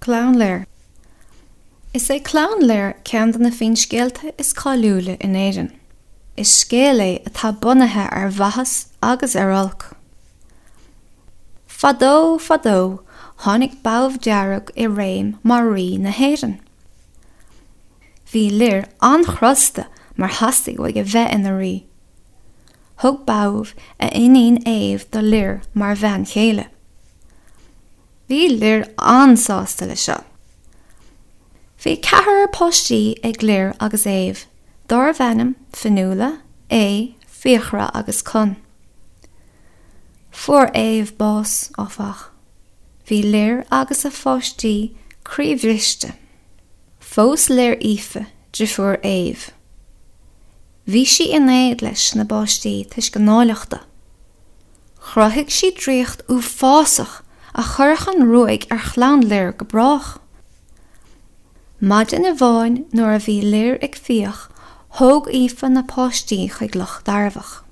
Clann Lir. Is é Clann Lir ceann de na finscéalta is cáiliúla in Éirinn. Is scéal é atá bunaithe ar mhaitheas agus ar olc. Fadó, fadó, tháinig Badhbh Dearg i réim mar rí na hÉireann. Bhí Lir an-chrosta mar theastaigh uaidh a bheith ina rí. Thug Badhbh a iníon Aobh do Lir mar bhean chéile. Bhí Lir an-sásta le seo. Bhí ceathrar páistí ag Lir agus Aobh, dárbh ainm Fionnuala, Aodh, Fiachra agus Conn. Fuair Aodh bás, áfach. Bhí Lir agus a pháistí croíbhriste. Phós Lir Aoife, drifiúr Aodh. Bhí sí in éad leis na bpáistí toisc a n-áilleachta. Chruthaigh sí draíocht uafásach a chuirfeadh an ruaig ar chlann Lir go brách. Maidin amháin nuair a bhí Lir ag fiach thóg Aoife na páistí chuig Loch Dairbheach.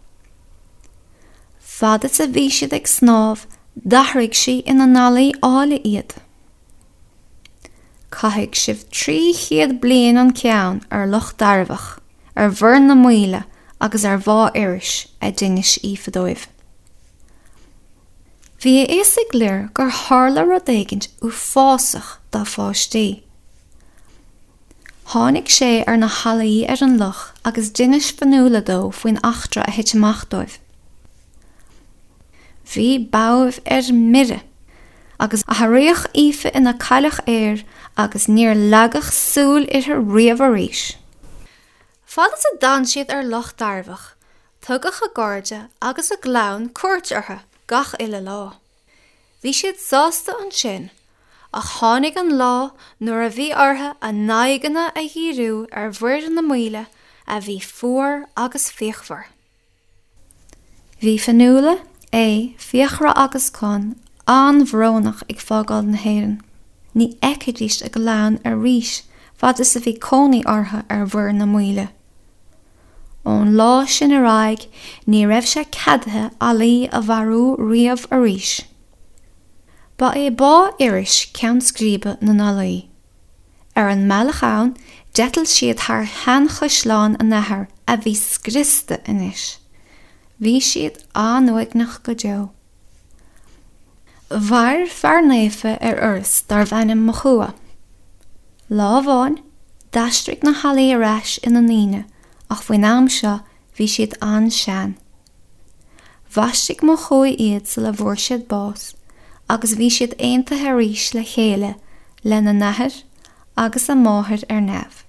Fad is a bhí siad ag snámh d'athraigh sí ina n-ealaí áille iad. Caithfidh sibh 300 bliain an ceann ar Loch Dairbheach, ar Mhuir na Maoile agus ar Mhá Iorrais, a d'inis Aoife dóibh. Bhí a fhios ag Lir gur tharla rud éigin uafásach dá pháistí. Tháinig sé ar na healaí ar an loch agus d'inis Fionnuala dó faoin eachtra a thit amach dóibh. Bhí Badhbh ar mire, agus athraíodh Aoife ina cailleach aeir agus níor leagadh súil uirthi riamh arís. Fad is a d'fhan siad ar Loch Dairbheach, tugadh a gcairde agus a gclann cuairt orthu gach uile lá. Bhí siad sásta ansin, ach tháinig an lá nuair a bhí orthu a n-aghaidheanna a dhíriú ar Mhuir na Maoile a bhí fuar agus fíochmhar. Bhí Fionnuala, Aodh, Fiachra agus Conn an-bhrónach ag fágáil na hÉireann. Ní fheicfidís a gclann arís fad is a bhí cónaí orthu ar Mhuir na Maoile. Ón lá sin ar aghaidh ní raibh sé ceadaithe ealaí a mharú riamh arís. Ba é Bá Iorrais ceann scríbe na n-ealaí. Ar an mbealach ann, d'eitil siad thar sheanchaisleán a n-athar a bhí scriosta anois. Bhí siad an-uaigneach go deo. Mhair fear naofa ar Iorras darbh ainm Mochua. Lá amháin, d'aistrigh na healaí ar ais ina ndaoine ach faoin am seo bhí siad an-sean. Bhaistigh Mochua iad sula bhfuair siad bás agus bhí siad aontaithe arís le chéile lena n-athair agus a máthair ar neamh.